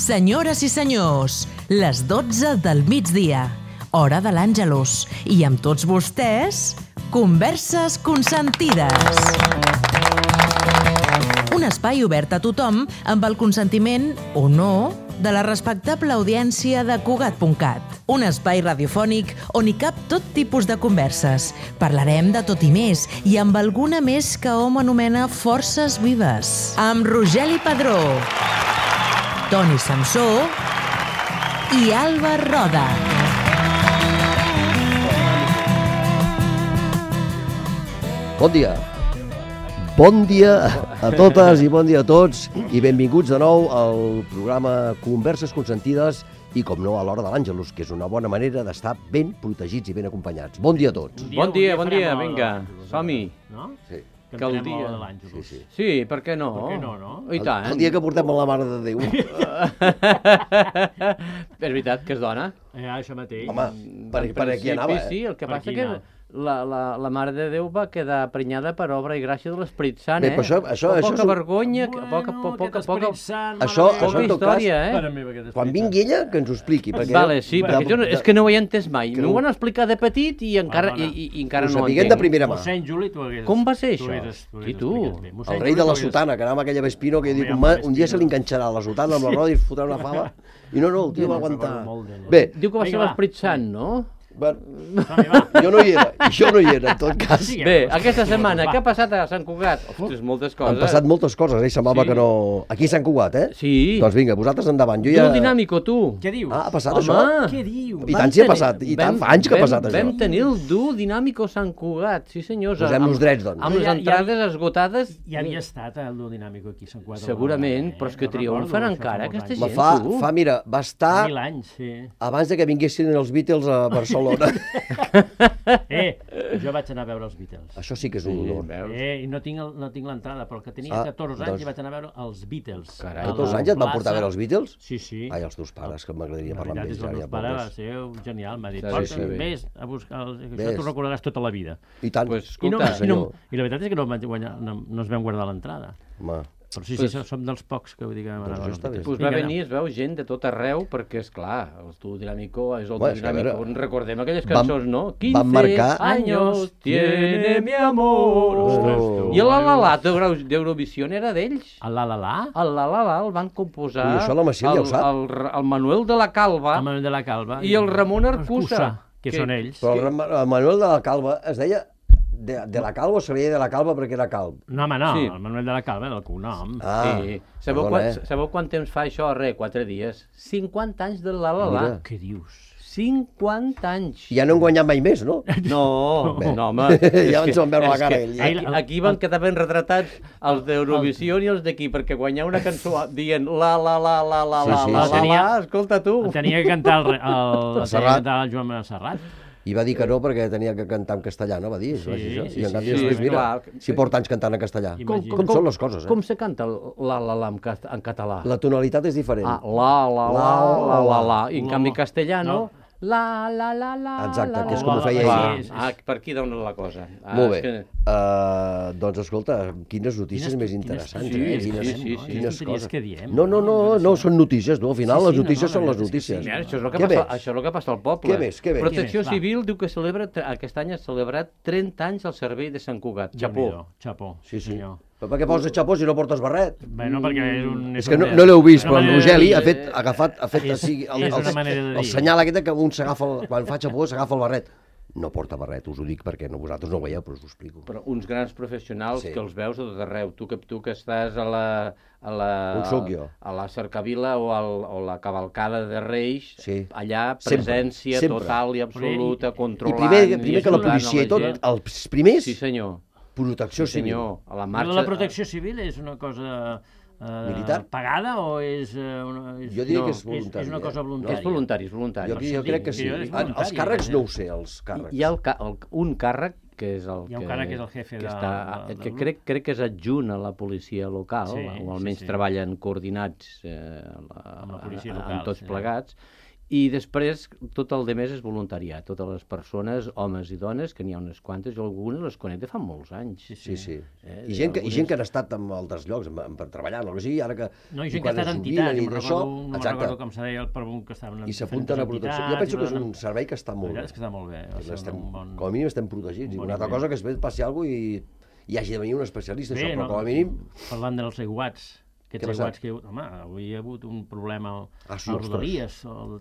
Senyores i senyors, les 12 del migdia, hora de l'Àngelus, i amb tots vostès, Converses Consentides. Un espai obert a tothom amb el consentiment, o no, de la respectable audiència de Cugat.cat. Un espai radiofònic on hi cap tot tipus de converses. Parlarem de tot i més, i amb alguna més que hom anomena forces vives. Amb Rogeli Padró, Toni Samsó i Alba Roda. Bon dia. Bon dia a totes i bon dia a tots i benvinguts de nou al programa Converses Consentides i, com no, a l'hora de l'Àngelus, que és una bona manera d'estar ben protegits i ben acompanyats. Bon dia a tots. Bon dia, vinga, som-hi. No? Sí. Que el dia de l'Àngelus. Sí, per què no? Per què no, no? I tant. El dia que portem a la Mare de Déu. És veritat que és dona. Això mateix. Home, per aquí anava, Sí, el que Per passa aquí que anava. la Mare de Déu va quedar prenyada per obra i gràcia de l'Esperit Sant, Bé, però Poca vergonya, poca Això, poca en tot cas, història, quan vingui ella, que ens ho expliqui. Perquè Vale, sí, perquè jo és que no ho he entès mai. M'ho van explicar de petit i encara ho no ho sapiguem de entenc. primera mà. Mossèn Juli, tu hagués... Com va ser tu això? hagués- tu I hagués tu? explicat bé. Mossèn El rei de Juli, la tu hagués- sotana, que anava amb aquella Vespino, que jo dic, Home, un dia se li enganxarà la sotana amb la roda i es fotrà una fava. I no, el tio va aguantar. molt d'ella. Bé, Diu que va ser Vinga, va. l'Esperit Sant, no? bueno, Som-hi, va. jo no hi era, en tot cas. Sí. Bé, aquesta setmana, què ha passat a Sant Cugat? Ostres, moltes coses. Han passat moltes coses, semblava Sí. que no... Aquí a Sant Cugat, eh? Sí. Doncs vinga, vosaltres endavant. Jo Tu, ja... el dinàmico, tu. Què dius? Ah, ha passat Home. això? Què diu? I tant si ha passat, i tant, fa anys que ha passat això. Vam tenir el dur dinàmico Sant Cugat, sí senyors. Posem-nos drets, doncs. Amb les Ja- entrades esgotades. Ja havia estat el duo dinàmic aquí a Sant Cugat. Segurament, però és que No triomfen recordo, encara, això fa aquesta molts gent. anys. Fa, mira, va estar 1000 anys, sí. abans de que vinguessin els Beatles a Barcelona. Jo vaig anar a veure els Beatles. Això sí que és un honor. I no tinc l'entrada, però el que tenia Ah, 14 anys doncs- i vaig anar a veure els Beatles. Carai, A la 14 anys et van portar a veure els Beatles? Sí, sí. Ai, els teus pares, que m'agradaria La parlar amb veritat és ells. que el Ja, meu pare va pobres. ser genial, m'ha dit, Sí, porta, sí, bé. vés a buscar, això Vés. t'ho recordaràs tota la vida. I tant. Pues, I, no, escolta, i, no, I la veritat és que no, no ens vam guardar l'entrada. Home, Però sí, som dels pocs que vull dir que vam anar a veure els està bé. Beatles. Pues va Vinga, venir, es veu gent de tot arreu, perquè, és clar, el tu dinàmico és el Bueno, tu és que a dinàmico. veure, Recordem aquelles van- cançons, no? van marcar- años tiene mi amor. Ostres, tu. I el la d'Eurovisió era d'ells. El la, El la el van composar Ui, això la Maciel ja ho sap. el Manuel de la Calva el Manuel de la Calva. i el Ramon Arcusa. que són ells. però el Manuel de la Calva es deia de la Calva o se li deia de la Calva perquè era calb? No, home, no, Sí. el Manuel de la Calva era el cognom. Ah, Sí. Sabeu, perdona, sabeu quant temps fa això? Res, 4 dies. 50 anys del la. Mira. Què dius? 50 anys. I ja no han guanyat mai més, no? No, Bé. no, home. Ja ens van veure la cara, ell. Aquí van quedar ben retratats els d'Eurovisió i els d'aquí, perquè guanyar una cançó dient la, Sí, sí. escolta tu. El tenia que cantar el tenia que Serrat. cantar el Joan Serrat. I va dir que no perquè tenia que cantar en castellà, no? Va dir, Sí, va dir això. sí, I en sí, canvi sí, després, sí, mira, clar. si porta anys cantant en castellà. Imagina't. Com són les coses, eh? Com se canta el la en català? La tonalitat és diferent. Ah, la. I en canvi castellano... No. La. Exacte, que és com ho feia Clar. ell. Per aquí dona la cosa. Molt bé. és que- Doncs escolta, quines notícies més interessants, sí, eh? sí, Quines, sí, quines sí. coses. Que diem. No, són notícies, no? Al final Sí, les sí, notícies no, són la les veritat és que notícies. sí. Mira, això és el que Què passa, més? això és el que passa al poble. Què més? Protecció Què més? Va. Civil diu que celebra, aquest any ha celebrat 30 anys al servei de Sant Cugat. Xapó. Xapó. Sí, sí. senyor. Però per què poses xapó si no portes barret? Bueno, perquè és un... És que no l'heu vist, però en una manera Rogeli de ha dir. fet És- així, és una manera de el dir. senyal aquest que un s'agafa, quan fa xapó s'agafa el barret. No porta barret, us ho dic perquè vosaltres no ho veieu, però us ho explico. Però uns grans professionals Sí. que els veus a tot arreu. Tu que estàs On sóc jo? a la Cercavila o la cavalcada de Reis, Sí. allà Sempre, presència sempre. total i absoluta, I controlant... primer que la ajudant a policia i tot, gent. els primers, Sí, senyor. protecció Sí, civil. senyor. A la Marxa... marxa... La protecció civil és una cosa Militar? pagada o és... Una, Jo diria no, que és voluntari. És una cosa voluntària. És voluntari, és voluntari. Jo crec que sí. és voluntari, Els càrrecs eh? no ho sé, els càrrecs. Hi ha un càrrec que és el Hi ha un càrrec que és el jefe que de- està, del que grup. crec que és adjunt a la policia local, Sí, o almenys sí. treballen coordinats Amb la policia local, amb tots sí. plegats, I després tot el de més és voluntariat. Totes les persones, homes i dones, que n'hi ha unes quantes, jo algunes les conec de fa molts anys. Sí. I gent que han estat en altres llocs per treballar, no? O sigui, ara que... No, i gent que ha estat a entitats, no recordo com se deia el pregunt que estaven i s'apunten a protecció. Jo penso que és un servei que està molt bé. És que està molt bé. Com a mínim estem protegits. I una altra cosa que es passi alguna cosa i hagi de venir un especialista, això, però com a mínim... Parlant dels aiguats, aquests aiguats que... Home, avui hi ha hagut un problema als Rodalies, el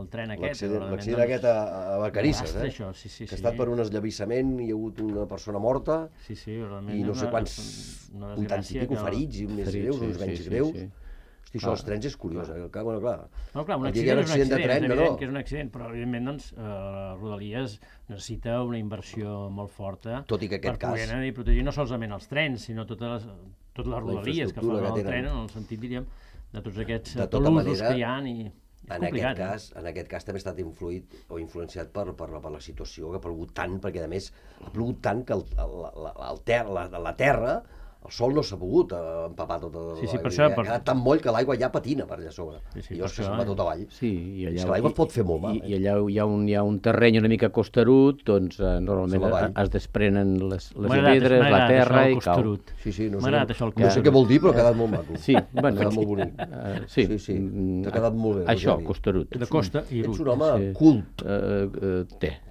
tren aquest. L'accident aquest a Vacarisses, que ha estat per un esllavissament, hi ha hagut una persona morta i no sé quants, 80 i pico ferits, i més greus, uns menys greus. Hosti, això dels trens és curiós, clar. Un accident és evident que és un accident, però evidentment, doncs, Rodalies necessita una inversió molt forta per poder anar i protegir no solament els trens, sinó totes les Rodalies que fan el tren, en el sentit, diríem, de tots aquests usos que hi ha. En aquest cas també ha estat influït o influenciat per la situació que ha plogut tant, perquè a més ha plogut tant que la terra, el sol no s'ha pogut empapar tota l'aigua. Ha quedat tan moll que l'aigua ja patina per allà sobre. I llavors que se'n va tot avall. És que l'aigua pot fer molt mal. I allà hi ha un terreny una mica costerut, doncs normalment es desprenen les pedres, la terra i cau. No sé què vol dir, però ha quedat molt maco. Sí, ha quedat molt bonic. Sí, ha quedat molt bé. Això, costerut. De costa i ets un home cult.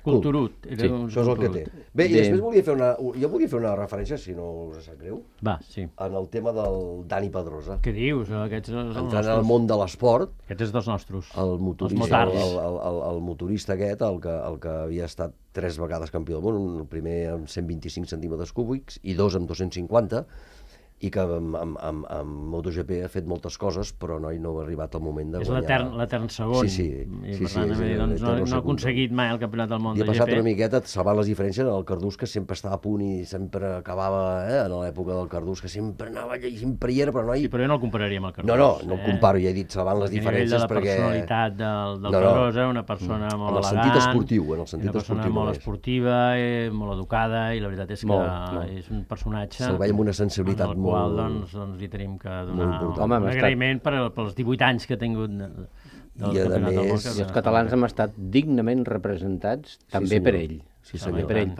Culturut. Això és el que té. Bé, i després volia fer una referència, si no us sap greu, en el tema del Dani Pedrosa. Què dius? Entrant al món de l'esport. Aquests és dels nostres. El motorista aquest, el que havia estat 3 vegades campió del món, el primer amb 125 centímetres cúbics i 2 amb 250, i que amb MotoGP ha fet moltes coses, però no ha arribat el moment de guanyar. És l'etern segon. I per tant, no ha aconseguit mai el campionat del món de GP. I ha passat una miqueta salvant les diferències el Cardús, que sempre estava a punt i sempre acabava, en l'època del Cardús, que sempre anava allà i sempre hi era, però no hi... Sí, però jo no el compararia amb el Cardús. No el comparo, ja he dit salvant les diferències perquè... A nivell de la personalitat del Pedrosa, una persona molt elegant, una persona molt esportiva, molt educada, i la veritat és que és un personatge... Se'l veia amb una sensibilitat molt... Doncs li tenim que donar un agraïment pels 18 anys que ha tingut del Campionat del Món. I els catalans hem estat dignament representats també per ell. També per ell,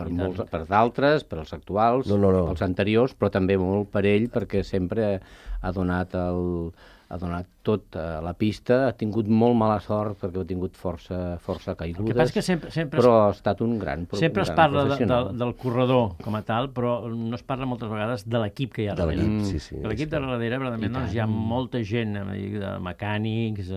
per d'altres, per als actuals, els anteriors, però també molt per ell, perquè sempre ha donat tot a la pista, ha tingut molt mala sort perquè ha tingut força caigudes, però ha estat un gran professional. Sempre es parla del corredor com a tal, però no es parla moltes vegades de l'equip que hi ha darrere. L'equip de darrere, verdaderament, hi ha molta gent, de mecànics,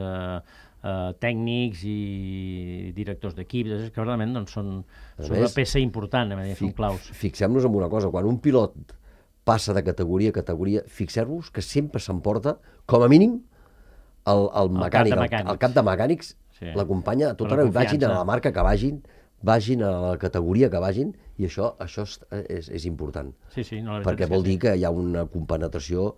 tècnics i directors d'equips, que verdaderament són una peça important, són claus. Fixem-nos en una cosa, quan un pilot passa de categoria a categoria, fixeu-vos que sempre s'emporta, com a mínim, el mecànic, el cap de mecànics, l'acompanya a tot arreu, vagin a la marca que vagin a la categoria que vagin, i això és important. Perquè vol dir que hi ha una compenetració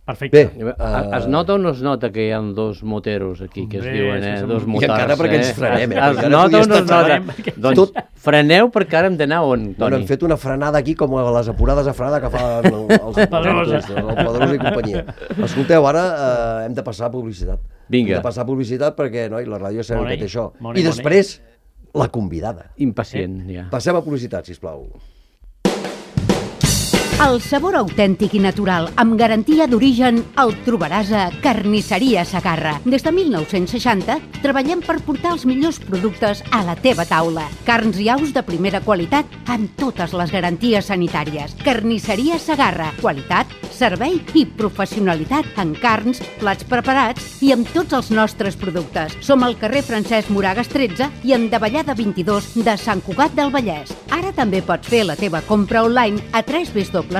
perfecte. Bé, es nota o no es nota que hi ha 2 moteros aquí, que es diuen, 2 motors? I encara perquè ens frenem. Es nota o no es nota? Doncs freneu perquè ara hem d'anar on, Toni? Hem fet una frenada aquí com a les apurades de frenada que fan els Pedrosa i companyia. Escolteu, ara hem de passar a publicitat. Vinga. Hem de passar a publicitat perquè la ràdio sabem que té això. I després, la convidada. Impacient, ja. Passem a publicitat, sisplau. El sabor autèntic i natural, amb garantia d'origen, el trobaràs a Carnisseria Segarra. Des de 1960 treballem per portar els millors productes a la teva taula. Carns i aus de primera qualitat amb totes les garanties sanitàries. Carnisseria Segarra. Qualitat, servei i professionalitat en carns, plats preparats i amb tots els nostres productes. Som al carrer Francesc Moragas 13 i en Davallada 22 de Sant Cugat del Vallès. Ara també pots fer la teva compra online a www.cesegarra.com.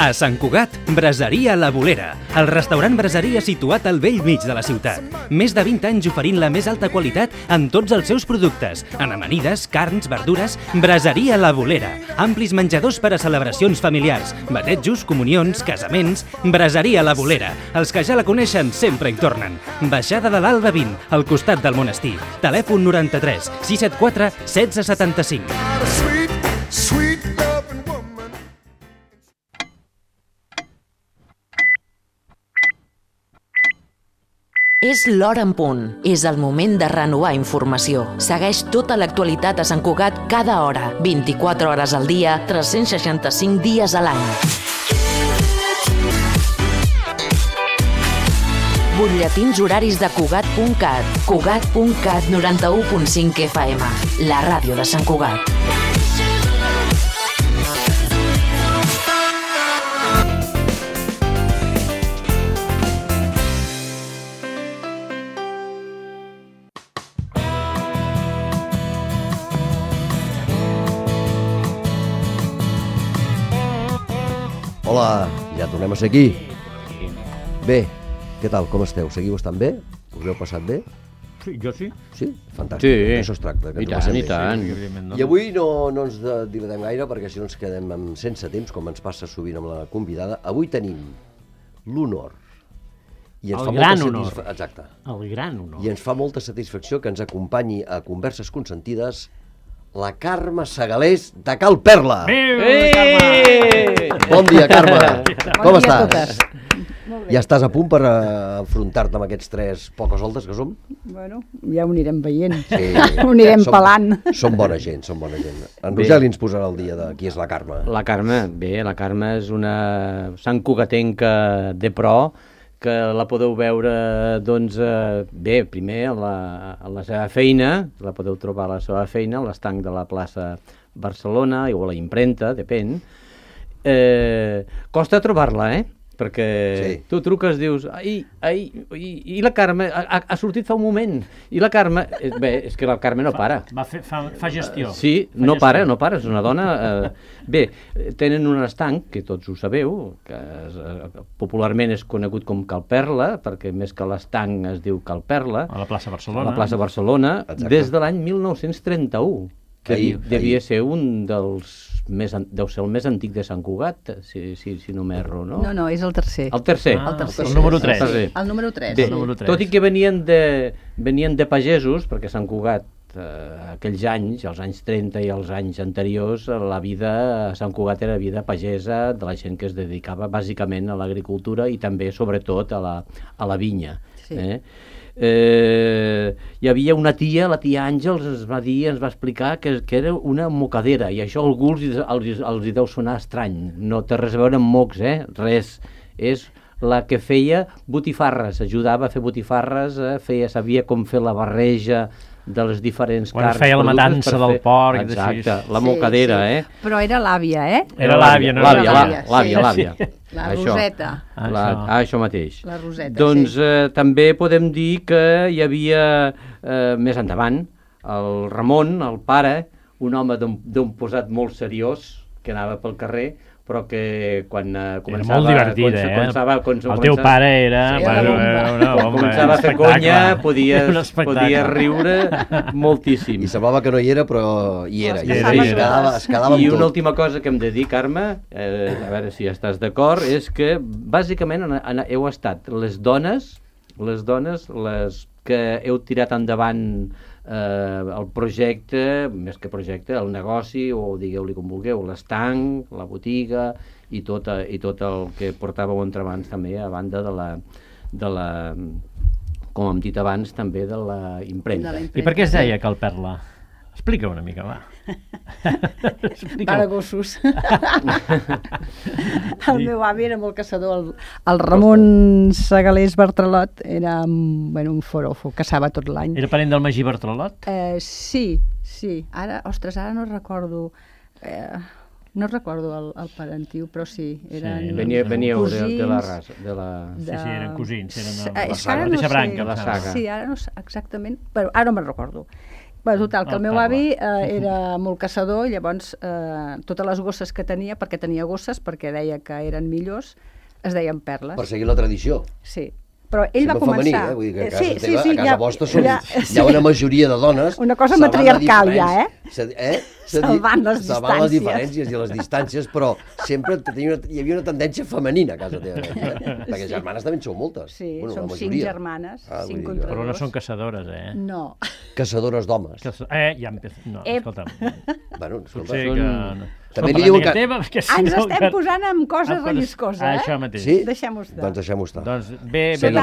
A Sant Cugat, Braseria La Bolera, el restaurant braseria situat al vell mig de la ciutat. Més de 20 anys oferint la més alta qualitat en tots els seus productes, en amanides, carns, verdures. Braseria La Bolera, amplis menjadors per a celebracions familiars, batejos, comunions, casaments. Braseria La Bolera, els que ja la coneixen sempre hi tornen. Baixada de l'Alba 20, al costat del monestir. Telèfon 93 674 1675. És l'hora en punt. És el moment de renovar informació. Segueix tota l'actualitat a Sant Cugat cada hora, 24 hores al dia, 365 dies a l'any. Butlletins horaris de Cugat.cat. Cugat.cat 91.5 FM. La ràdio de Sant Cugat. Hola, ja tornem a ser aquí. Bé, què tal, com esteu? Seguiu estant bé? Us heu passat bé? Sí, jo sí. Sí? Fantàstic, sí. Això es tracta. I tant, i tant. I avui no ens dilatem gaire perquè si no ens quedem sense temps, com ens passa sovint amb la convidada. Avui tenim l'honor. El gran honor. Exacte. El gran honor. I ens fa molta satisfacció que ens acompanyi a Converses Consentides la Carme Segalés de Cal Perla. Bon dia, Carme. Com estàs? Molt bé. Ja estàs a punt per enfrontar-te amb aquests tres poques soltes que som? Bueno, ja ho anirem veient. Sí. Ho anirem pelant. Som bona gent, som bona gent. En Rogeli ens posarà el dia de qui és la Carme. La Carme és una santcugatenca de pro, que la podeu veure, doncs, bé, primer a la seva feina, la podeu trobar a la seva feina, a l'estanc de la plaça Barcelona, o a la impremta, depèn. Costa trobar-la, perquè tu truques, dius, i la Carme, ha sortit fa un moment, i la Carme, bé, és que la Carme no para. Fa gestió. Sí, no para, és una dona... Bé, tenen un estanc, que tots ho sabeu, que popularment és conegut com Cal Perla, perquè més que l'estanc es diu Cal Perla. A la plaça Barcelona. A la plaça Barcelona, des de l'any 1931. Que devia ser un dels deu ser el més antic de Sant Cugat, si no m'erro, no? No, és el tercer. El tercer? El número 3. El número 3. Bé, tot i que venien de pagesos, perquè Sant Cugat, aquells anys, els anys 30 i els anys anteriors, la vida a Sant Cugat era vida pagesa, de la gent que es dedicava bàsicament a l'agricultura i també, sobretot, a la vinya. Sí. Hi havia una tia, la tia Àngels, ens va explicar que era una mocadera, i això a algú els deu sonar estrany. No té res a veure amb mocs, res. És la que feia botifarres, ajudava a fer botifarres, sabia com fer la barreja de les diferents carns. Feia la matança del porc. Exacte, la mocadera, Però era l'àvia, Era l'àvia, no? L'àvia. La Roseta. Això mateix. La Roseta, doncs també podem dir que hi havia, més endavant, el Ramon, el pare, un home d'un posat molt seriós, que anava pel carrer, però que quan començava... Era molt divertit, El teu pare era... Començava a fer conya, podia riure moltíssim. I semblava que no hi era, però hi era. Es quedava amb tot. I una última cosa que hem de dir, Carme, a veure si estàs d'acord, és que bàsicament heu estat les dones les que heu tirat endavant el projecte, més que projecte, el negoci, o digueu-li com vulgueu, l'estanc, la botiga i tot el que portàveu entre mans també, a banda de la, com hem dit abans, també de la impremta. I per què es deia Cal Perla? Explica una mica, va. Para gossos. El meu avi era molt caçador. El Ramon Segalés Bartralot era un forofo, caçava tot l'any. Era parent del Magí Bartralot? Sí. Ara no recordo... No recordo el parentiu, però sí. Veníeu de la raça. Sí, eren cosins. Eren de la mateixa branca. Sí, ara no sé exactament, però ara no me'n recordo. Bé, total, que el meu avi era molt caçador, llavors totes les gosses que tenia, perquè tenia gosses, perquè deia que eren millors, es deien perles. Per seguir la tradició. Sí. Però ell va començar... Femení, vull dir que a casa vostra hi ha una majoria de dones... Una cosa matriarcal ja, Salvant les diferències i les distàncies, però sempre hi havia una tendència femenina a casa teva. Perquè germanes també en sou moltes. Sí, som 5 germanes, 5 contra 2. Però no són caçadores, No. Caçadores d'homes. Ja empezó. No, escolta'm. Bueno, escolta, també li diuen que... Ens estem posant amb coses relliscoses, Això mateix. Sí? Deixem-ho estar. Doncs deixem-ho estar. Doncs ve del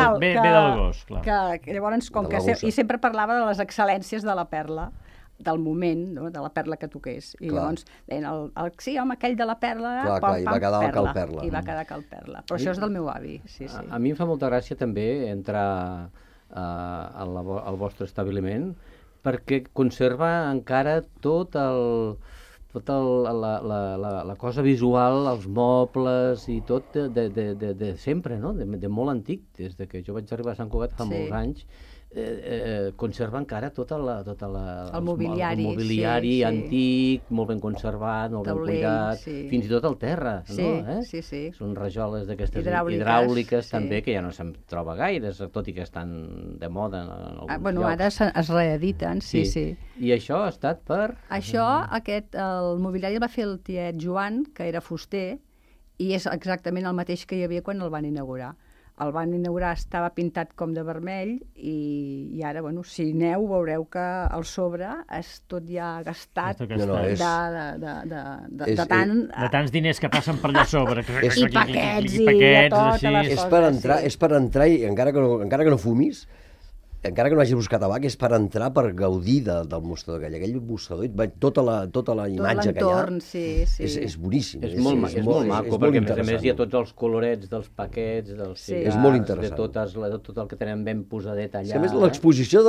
gos, clar. Que llavors, com que... I sempre parlava de les excel·lències de la perla, del moment, de la perla que toqués. I llavors deien, sí, home, aquell de la perla... Clar, i va quedar el Cal Perla. I va quedar Cal Perla. Però això és del meu avi, sí. A mi em fa molta gràcia també entrar al vostre establiment, perquè conserva encara tota la cosa visual, els mobles i tot de sempre, no? De molt antic, des de que jo vaig arribar a Sant Cugat fa molts anys, conserva encara el mobiliari antic, molt ben conservat, molt ben cuidat, fins i tot el terra, no? Sí. Són rajoles d'aquestes hidràuliques també, que ja no se'n troba gaire, tot i que estan de moda en alguns llocs. Ara es reediten, sí. I això ha estat per... Això, el mobiliari el va fer el tiet Joan, que era fuster, i és exactament el mateix que hi havia quan el van inaugurar. El van inaugurar, estava pintat com de vermell i ara, si aneu, veureu que el sobre és tot ja gastat de tants diners que passen per allà sobre. I paquets i totes les coses. És per entrar i encara que no fumis, encara que no hagis buscat tabac, és per entrar, per gaudir del mostrador. Aquell mostrador, tota la imatge que hi ha, és boníssim. És molt maco, perquè a més hi ha tots els colorets dels paquets, dels cigars, de tot el que tenen ben posadet allà. A més, l'exposició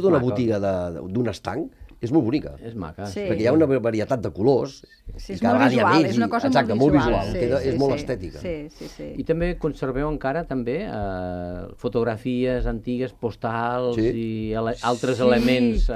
d'una botiga, d'un estanc, és molt bonica. És maca. Perquè hi ha una varietat de colors. És molt visual, és una cosa molt visual. És molt estètica. Sí. I també conserveu encara fotografies antigues, postals i altres elements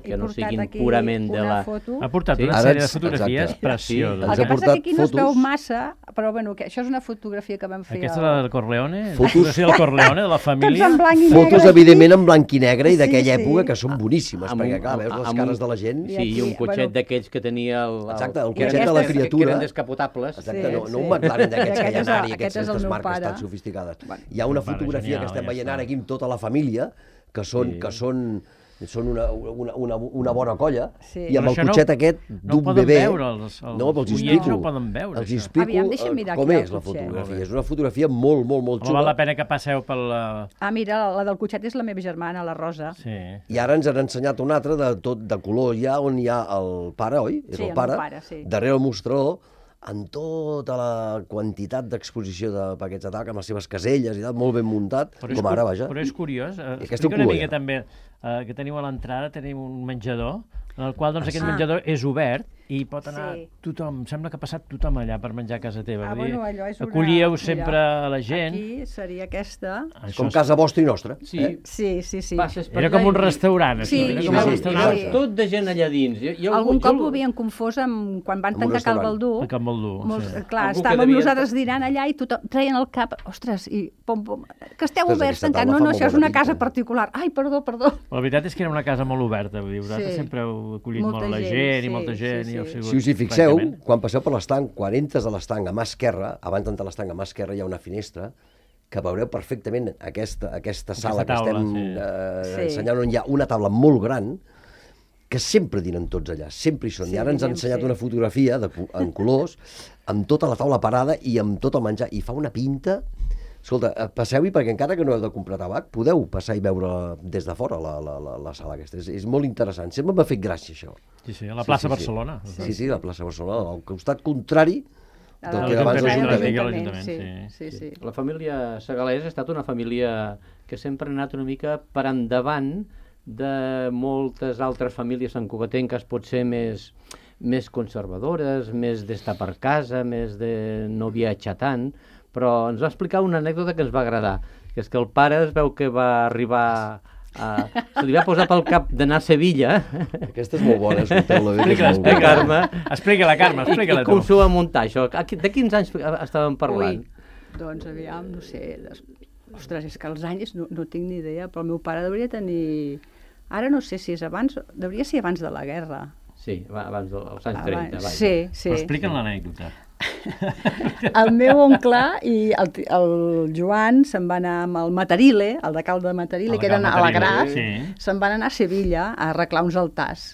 que no siguin purament de la... Ha portat una sèrie de fotografies precioses. El que passa que aquí no es veu massa, però això és una fotografia que vam fer... Aquesta és la del Corleone? Fotografia del Corleone, de la família? Fotos, evidentment, en blanc i negre i d'aquella època que són boníssimes, perquè clar, veus les cares de la gent. Sí, i un cotxet d'aquells que tenia el cotxet de la criatura. Que eren descapotables. Exacte, no un McLaren d'aquests que hi ha ara i aquestes marques tan sofisticades. Hi ha una fotografia que estem veient ara aquí amb tota la família, que són una bona colla, i amb el cotxet aquest d'un bebè... No, però els explico com és la fotografia. És una fotografia molt xula. Val la pena que passeu per la... Mira, la del cotxet és la meva germana, la Rosa. I ara ens han ensenyat una altra de color ja, on hi ha el pare, oi? És el pare, darrere el mostrador, amb tota la quantitat d'exposició de paquets de tabac, amb les seves caselles i tal, molt ben muntat, com ara, vaja. Però és curiós, explica una mica també, que teniu a l'entrada, tenim un menjador, en el qual aquest menjador és obert i pot anar tothom, sembla que ha passat tothom allà per menjar a casa teva. Acollíeu sempre a la gent. Aquí seria aquesta. Com casa vostra i nostra. Sí. Era com un restaurant. Tot de gent allà dins. Algun cop ho havien confós quan van tancar Cal Baldú. Clar, estàvem nosaltres dinant allà i tothom treien el cap, ostres, i que esteu oberts tancats. No, això és una casa particular. Ai, perdó. La veritat és que era una casa molt oberta, vosaltres sempre heu acollit molt la gent i molta gent. Si us hi fixeu, quan passeu per l'estanc, quan entres a l'estanc a mà esquerra, abans d'entrar a l'estanc a mà esquerra hi ha una finestra que veureu perfectament aquesta sala que estem ensenyant, on hi ha una taula molt gran que sempre dinen tots allà, sempre hi són. I ara ens han ensenyat una fotografia en colors amb tota la taula parada i amb tot el menjar, i fa una pinta... Escolta, passeu-hi, perquè encara que no heu de comprar tabac, podeu passar i veure des de fora la sala aquesta. És molt interessant. Sempre m'ha fet gràcia, això. Sí, a la plaça Barcelona. Sí, a la plaça Barcelona, al costat contrari del que abans l'Ajuntament. Sí. La família Segalés ha estat una família que sempre ha anat una mica per endavant de moltes altres famílies santcugatenques, potser més conservadores, més d'estar per casa, més de no viatjar tant, però ens va explicar una anècdota que ens va agradar, que és que el pare es veu que va arribar se li va posar pel cap d'anar a Sevilla. Aquesta és molt bona, escolteu-la bé. Explica-la, Carme, explica-la tu. I com s'ho va muntar, això? De quins anys estàvem parlant? Doncs aviam, no sé... Ostres, és que els anys no tinc ni idea, però el meu pare hauria tenir... Ara no sé si és abans... Hauria ser abans de la guerra. Sí, abans dels anys 30. Sí. Però explica'm l'anècdota. El meu oncle i el Joan se'n van anar amb el Matarile, el decalde de Matarile, que eren a la Gras, se'n van anar a Sevilla a arreglar uns altars,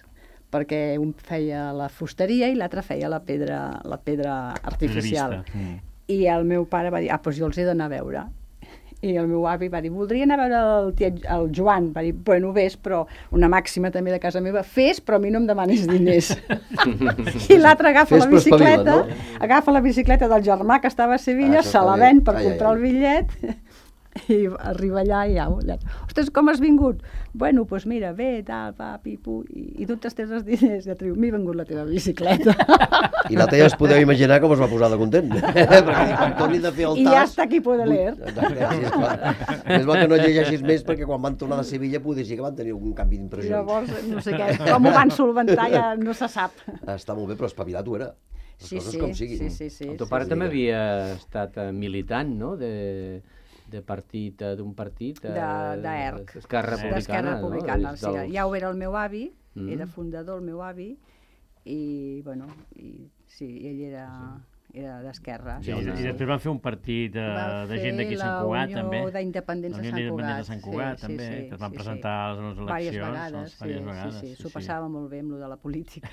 perquè un feia la fusteria i l'altre feia la pedra artificial. I el meu pare va dir, doncs jo els he d'anar a veure. I el meu avi va dir, voldria anar a veure el Joan. Va dir, bueno, vés, però una màxima també de casa meva, fes, però a mi no em demanis diners. I l'altre agafa la bicicleta del germà que estava a Sevilla, se la ven per comprar el bitllet, i arriba allà i allà. Ostres, com has vingut? Bueno, doncs mira, ve, tal, va, pipu, i tu t'has tret els diners, i m'he vengut la teva bicicleta. I la teva es podeu imaginar com es va posar de content. Perquè quan torni de fer el tas... I ja està aquí poder leer. És bo que no llegeixis més, perquè quan van tornar de Sevilla poder sí que van tenir un canvi d'impressions. Llavors, no sé què, com ho van solventar ja no se sap. Està molt bé, però espavilat ho era. Les coses com siguin. Sí. El teu pare també havia estat militant, no?, d'un partit... d'ERC. D'Esquerra Republicana. Sí. Ja ho era el meu avi, era fundador el meu avi, i, bueno, ell era d'Esquerra. I després van fer un partit de gent d'aquí a Sant Cugat, també. La Unió d'Independents de Sant Cugat, també, que es van presentar a les eleccions. Diverses vegades, sí. S'ho passava molt bé amb lo de la política.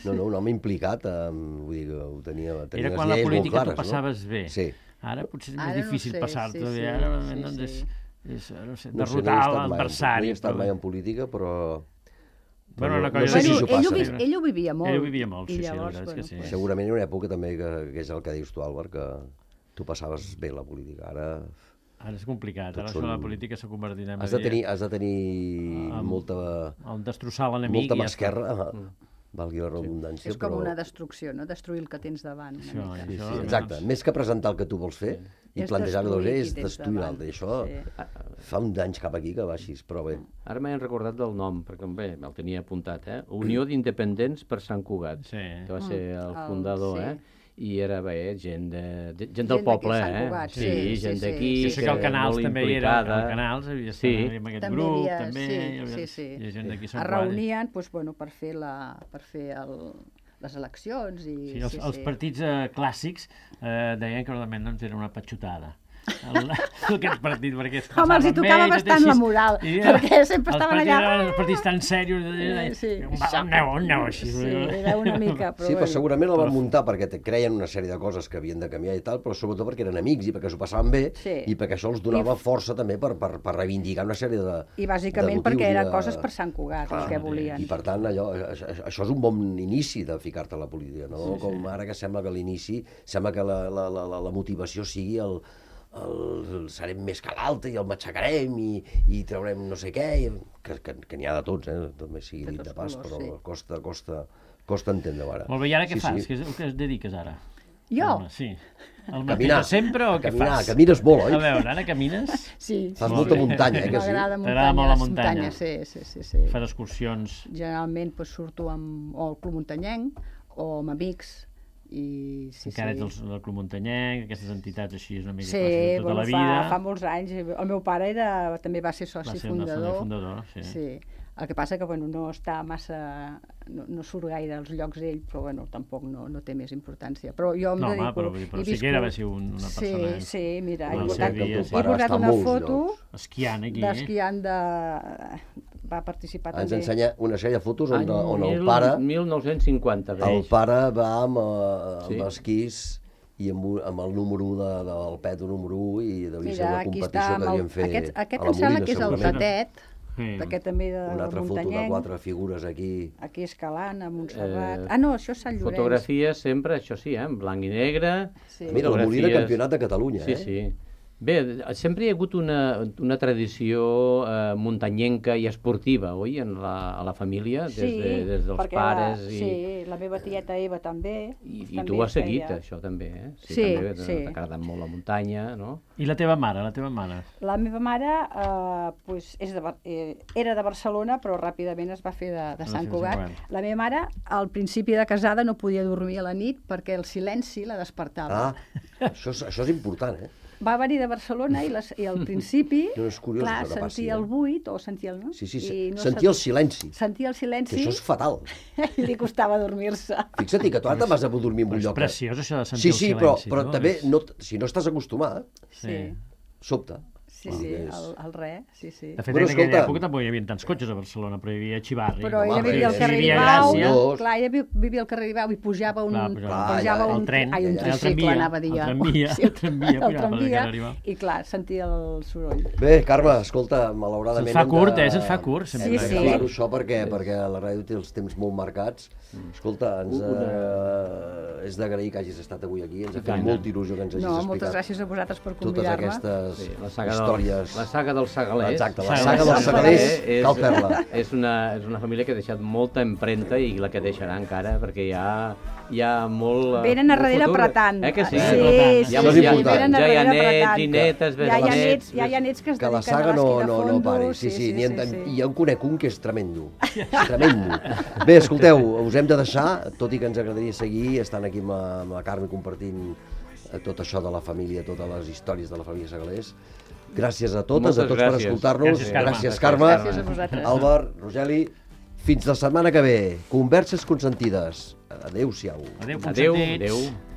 No, un home implicat, vull dir que ho tenia les lleis molt clares. Era quan la política tu passaves bé. Sí. Ara potser és més difícil passar-te bé. Ara és derrotar l'adversari. No he estat mai en política, però... No sé si s'ho passa. Ell ho vivia molt. Ell ho vivia molt, sí, la veritat és que sí. Segurament hi ha una època també que és el que dius tu, Àlvar, que tu passaves bé la política. Ara és complicat, ara això de la política s'ha convertit en... Has de tenir molta... destrossar l'enemic. Molta mà esquerra, valgui la redundància. És com una destrucció, no? Destruir el que tens davant. Sí, exacte. Més que presentar el que tu vols fer i plantejar-ho és destruir l'altre. I això fa uns anys cap aquí que baixis, però bé. Ara m'he recordat del nom, perquè bé, me'l tenia apuntat, Unió d'Independents per Sant Cugat, que va ser el fundador, i era bé, gent del poble, sí, gent d'aquí, sí, que el Canals també era, el Canals havia estat en aquest grup, també, hi gent d'aquí se'n reunien per fer les eleccions. Els partits clàssics deien que realment era una patxotada. Aquest partit, perquè es home, els hi tocava bastant la moral, perquè sempre estaven allà... Els partits tan serios, aneu així. Sí, era una mica, però... Sí, però segurament el van muntar perquè creien una sèrie de coses que havien de canviar i tal, però sobretot perquè eren amics i perquè s'ho passaven bé i perquè això els donava força també per reivindicar una sèrie de... I bàsicament perquè eren coses per Sant Cugat, el que volien. I per tant, això és un bon inici de ficar-te a la política, no? Com ara que sembla que l'inici, sembla que la motivació sigui serem més que l'altre i el matxacarem i traurem no sé què, que n'hi ha de tots, també sigui dit de pas, però costa entendre-ho ara. Molt bé, i ara què fas? Què es dediques ara? Jo? Sí. El mateix de sempre o què fas? Camines molt, oi? A veure, ara camines? Sí. Fas molta muntanya, que sí? T'agrada molt la muntanya? Sí. Fas excursions? Generalment surto amb el Club Muntanyenc o amb amics. Encara ets del Club Muntanyenc, aquestes entitats així és una mica de tota la vida. Sí, fa molts anys. El meu pare també va ser soci fundador. Sí. El que passa que no està massa... no surt gaire als llocs ell, però tampoc no té més importància. Però jo em dedico... Però sí que era va ser una persona... Sí, mira, he portat una foto esquiant aquí. D'esquiant va participar també. Ens ensenya una sèrie de fotos on el pare... 1950. El pare va amb esquís i amb el número 1 del peto número 1 i devia ser una competició que devien fer a la Molina. Aquest em sembla que és el Tatet, perquè també del Muntanyenc. Una altra foto de 4 figures aquí. Aquí escalant, a Montserrat. No, això és Sant Llorenç. Fotografies sempre, això sí, en blanc i negre. Mira, la Molina campionat de Catalunya, Sí. Bé, sempre hi ha hagut una tradició muntanyenca i esportiva, oi, a la família, des dels pares. Sí, la meva tieta Eva també. I tu has seguit això també, eh? Sí. T'ha agradat molt la muntanya, no? I la teva mare? La meva mare era de Barcelona, però ràpidament es va fer de Sant Cugat. La meva mare, al principi de casada, no podia dormir a la nit perquè el silenci la despertava. Això és important, eh? Va venir de Barcelona i al principi, clar, sentia el buit, o sentia el... Sí, sentia el silenci. Sentia el silenci. Que això és fatal. I li costava dormir-se. Fixa't que tu ara te'n vas a dormir en un lloc. És preciós, això de sentir el silenci. Sí, però també, si no estàs acostumat, sobta. Sí, el re, sí. De fet, en aquella època tampoc hi havia tants cotxes a Barcelona, però hi havia Xivarri. Però ella vivia al carrer Ribau, clar, ella vivia al carrer Ribau i pujava un tren, el tricicle, anava a dir jo. El tramvia, i clar, sentia el soroll. Bé, Carme, escolta, malauradament... Se't fa curt, se't fa curt. Sí. Claro, això perquè la ràdio té els temps molt marcats. Escolta, és d'agrair que hagis estat avui aquí, ens ha fet molta il·lusió que ens hagis explicat. No, moltes gràcies a vosaltres per convidar-me. Totes aquestes històries. La saga dels Segalers. Exacte, la saga dels Segalers, cal fer-la. És una família que ha deixat molta empremta i la que deixarà encara, perquè hi ha molt... Venen a darrere apretant. Que sí? Sí, això és important. Ja hi ha nets i netes, besnets... Ja hi ha nets que es dediquen a l'esquí de fondo. Que la saga no pari. Sí. I ja en conec un que és tremendo. Tremendo. Bé, escolteu, us hem de deixar, tot i que ens agradaria seguir estant aquí amb la Carme compartint tot això de la família, totes les històries de la família Segalers. Gràcies a totes, a tots per escoltar-nos. Gràcies, Carme. Gràcies a vosaltres. Àlvar, Rogeli, fins la setmana que ve. Converses consentides. Adéu-siau. Adéu, consentit. Adéu.